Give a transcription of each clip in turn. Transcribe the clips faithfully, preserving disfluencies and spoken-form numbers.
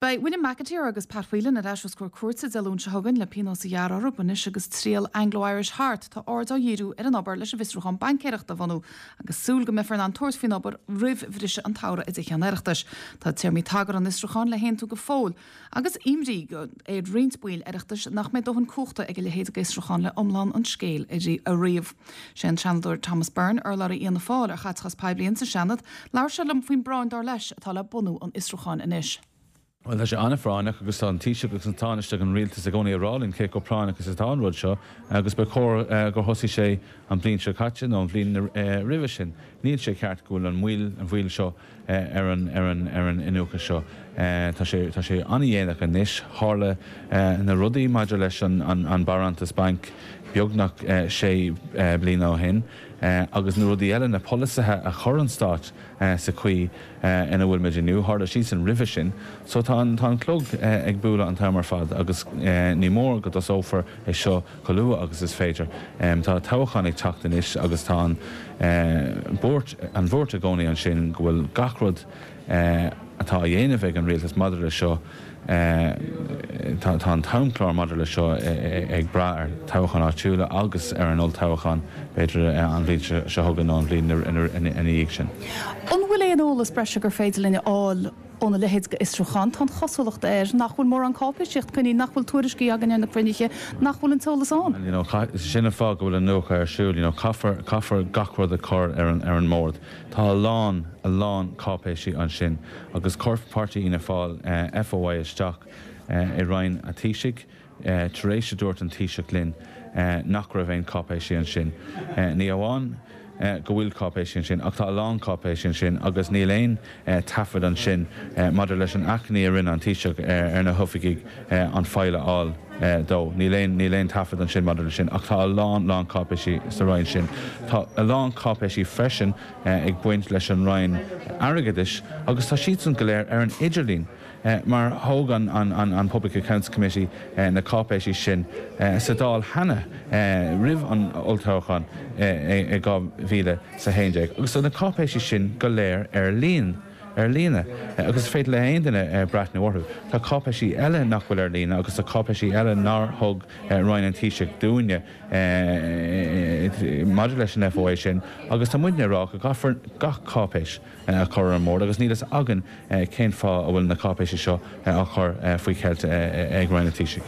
Beidh William McAteer agus Pat Whelan ar ais os comhair cúirte Dé Luain seo chugainn le pionós a ghearradh orthu anois agus triail Anglo-Irish thart tá aird á dhíriú ar an obair leis an bhfiosrúchán baincéireachta a bhunú agus súil go mbeifear in ann tabhairt faoin obair roimh bhriseadh an tsamhraidh i dTithe an Oireachtais. Tá téarmaí tagartha an fhiosrúcháin le haontú go fóill agus imní ar roinnt baill Oireachtais nach mbeidh dóthain cumhachta ag a leithéid d'fhiosrúchán le iomlán an scéil a ríomh. Sé an Seanadóir Thomas Byrne urlabhraí Fhianna Fáil ar chaiteachas poiblí sa Seanad, labhair sé liom faoin bpráinn dar leis atá le bunú an fhiosrúcháin anois. Well tá sé an-phráinneach agus tá an Taoiseach agus an Tánaiste an rialtas i gcónaí ag rá linn cé chomh práinneach is atá an rud seo agus ba chóir uh, gur thosaigh sé an bhliain seo caite nó an bhliain uh, roimhe sin. Níl sé ceart go bhfuil an mhoill an mhoill seo uh, ar an ar an ar an iniúchadh seo. Uh, tá sé tá sé an-dhéanach anois tharla uh, na rudaí maidir leis an, an, an barántas banc beagnach uh, sé uh, bliana ó shin. Uh, agus na rudaí eile na polasaithe a chuir an stát uh, sa chaoi uh, ina bhfuil muid inniu tharla siad sin roimhe sin, so tá an tá an clog uh, ag bualadh an t-am ar fad agus uh, ní mór go dtosófar é seo chomh luath agus is féidir. Um, tá toghchán ag teacht anois agus tá an uh, buairt an bhuairt i gcónaí ansin go bhfuil gach rud uh, atá á dhéanamh ag an rialtas maidir le seo tá an t-amchlár maidir le seo ag brath ar toghcháin áitiúla agus ar an olltoghchán b'fhéidir an bhliain seo chugainn an bhliain ina dhiaidh sin. An bhfuil aon eolas breise gur féidir linn a fháil óna leithéid d'fhiosrúchán tá chosúlacht air nach bhfuil mórán cáipéisíocht cinn nach bhfuil tuairiscí againn ar na cruinnithe nach bhfuil an t-eolas ann. You know, sin an fáth go bhfuil an iniúchadh ar siúl, you know, caithfear caithfear gach rud a chur ar an ar an mbord. Tá a lán a lán cáipéisí ansin agus chuir páirtí Fhianna Fáil uh, FOI isteach uh, i Roinn an Taoisigh uh, tar éis a dúirt an Taoiseach linn uh, nach raibh aon cáipéisí ansin. Uh, ní amháin uh, go bhfuil cáipéisí ansin ach tá a lán cáipéisí ansin agus níl aon uh, taifead ansin uh, maidir leis an achainí a rinne an Taoiseach uh, ar na hoifigigh uh, an file a fháil uh, dó. Níl aon níl aon taifead ansin maidir leis sin ach tá a lán lán cáipéisí sa Roinn sin. Tá a lán cáipéisí freisin uh, ag baint leis an Roinn Airgeadais agus tá siad san go léir ar an idirlíon. Uh, mar thóg an, an, an, an Public Accounts Committee uh, na cáipéisí sin uh, sa Dáil cheana uh, roimh an olltoghchán uh, i dhá mhíle sa haon déag. Agus tá na cáipéisí sin go léir ar líon ar líne agus féidir le haon duine breathnú orthu. Tá cáipéisí eile nach bhfuil ar líne agus tá cáipéisí eile nár thug Roinn an Taoisigh dúinne maidir leis an FOI sin, agus tá muidne ag rá go gcaithfear gach cáipéis a chur ar an mbord agus níl a fhios againn cén fáth a bhfuil na cáipéisí seo á chur faoi cheilt ag Roinn an Taoisigh.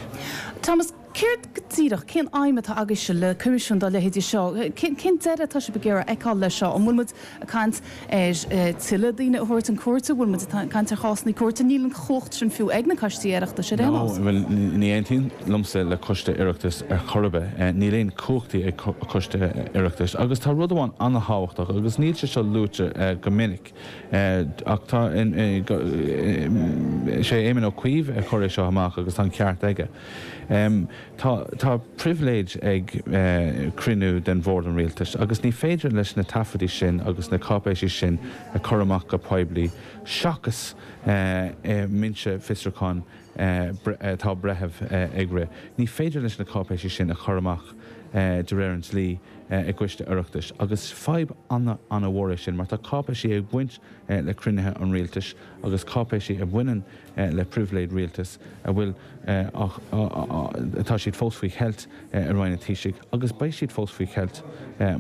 Thomas céard go díreach cén aidhm atá agaibhse le coimisiún dá leithéidí seo, cén deireadh atá sibh ag iarraidh a fheiceáil leis seo an bhfuil muid ag caint ar tuilleadh daoine a thabhairt chun cúirte, bhfuil muid ag caint ar chásanna cúirte níl an chumhacht sin fiú ag na coistí Oireachtais ar aon nós. Ní aontaím liomsa le coiste Oireachtais ar chor ar bith, níl aon chumhachtaí ag coiste Oireachtais, agus tá rud amháin an-thábhachtach agus níl sé seo luaite go minic ach tá sé Éamon Ó Cuív a chuir é seo amach agus tá an ceart aige. Um, tá, tá pribhléid ag uh, cruinniú den bhord an rialtais, agus ní féidir leis na taifeadtaí sin agus na cáipéisí sin a chur amach go poiblí seachas uh, uh, mbinse fiosrúcháin atá breitheamh ag rith. Ní féidir leis na cáipéisí sin a chur amach de réir an dlí i gcoiste Oireachtais, agus fadhb an-mhór é sin, mar tá cáipéisí ag baint le cruinnithe an rialtais agus cáipéisí a bhaineann le pribhléid rialtais a bhfuil atá siad fós faoi cheilt i Roinn an Taoisigh, agus beidh siad fós faoi cheilt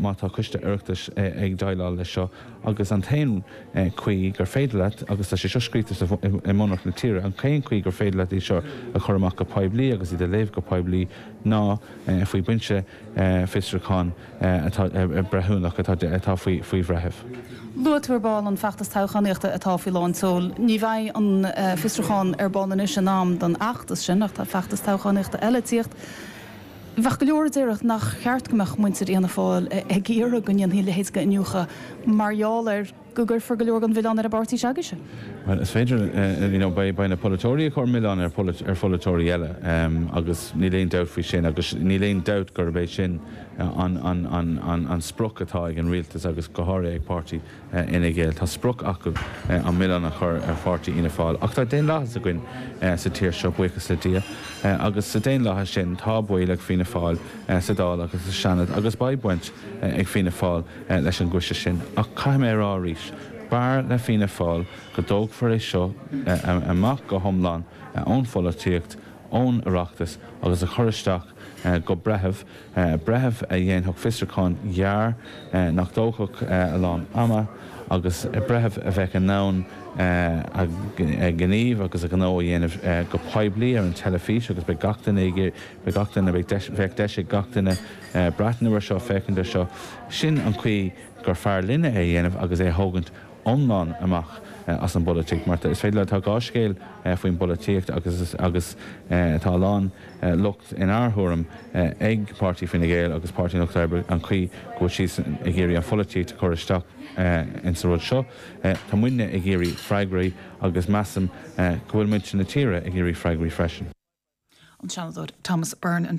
má tá coiste Oireachtais ag déileáil leis seo agus an t-aon chaoi gur féidir leat agus tá sé seo scríofa i mbunreacht na tíre, an t-aon chaoi gur féidir leat í seo a chur amach go poiblí agus iad a léamh go poiblí ná faoi binse fiosrúchán atá breithiúnach atá faoi faoi bhreitheamh. Luaigh tú ar ball an feachtas toghchánaíochta atá faoi lán tseoil. Ní bheidh an fiosrúchán ar bun anois in am don fheachtas sin ach tá feachtas toghchánaíochta eile ag tíocht. Bheadh go leor a déarfadh nach cheart go mbeadh muintir Fhianna Fáil ag iarraidh go ndéanfaí a leithéid d'iniúchadh mar gheall ar go gcuirfear go leor den mhilleán ar an bpáirtí s'agaibhse. Well, is féidir you know, beidh na polaiteoirí ag cur milleán ar ar pholaiteoirí eile um, agus níl aon dabht faoi sin agus níl aon dabht gurb é sin an, an, an, an, an sprioc atá ag an rialtas agus go háirithe ag páirtí uh, Fhine Gael. Tá sprioc acu uh, an milleán a chur ar pháirtí Fhianna Fáil. Ach tá daonlathas againn uh, sa tír seo buíochas le Dia uh, agus sa daonlathas sin tá baill ag Fianna Fáil uh, sa Dáil agus sa Seanad agus beidh baint uh, ag Fianna Fáil uh, leis an gcoiste sin. Ach caithfidh mé a rá arís. B'fhearr le Fianna Fáil go dtógfar é seo amach go hiomlán ón pholaitíocht, ón Oireachtas agus a chur isteach go breitheamh, breitheamh a dhéanfadh fiosrúchán gearr nach dtógfadh a lán ama agus breitheamh a bheadh in ann a ghníomh agus a ghnó a dhéanamh go poiblí ar an teilifís agus beidh gach duine beidh gach duine bheadh deis ag gach duine breathnú air seo féachaint air seo. Sin an chaoi gur fearr linne é a dhéanamh agus é a thógaint iomlán amach as an bpolaitíocht mar is féidir le tá dhá scéal faoin bpolaitíocht agus agus tá a lán locht inár dtuairim ag Páirtí Fine Gael agus Páirtí an Lucht Oibre an chaoi go bhfuil siad ag iarraidh an pholaitíocht a chur isteach insa rud seo. Tá muidne ag iarraidh freagraí agus measaim go bhfuil muintir na tíre ag iarraidh freagraí freisin. An Seanadóir Thomas Byrne an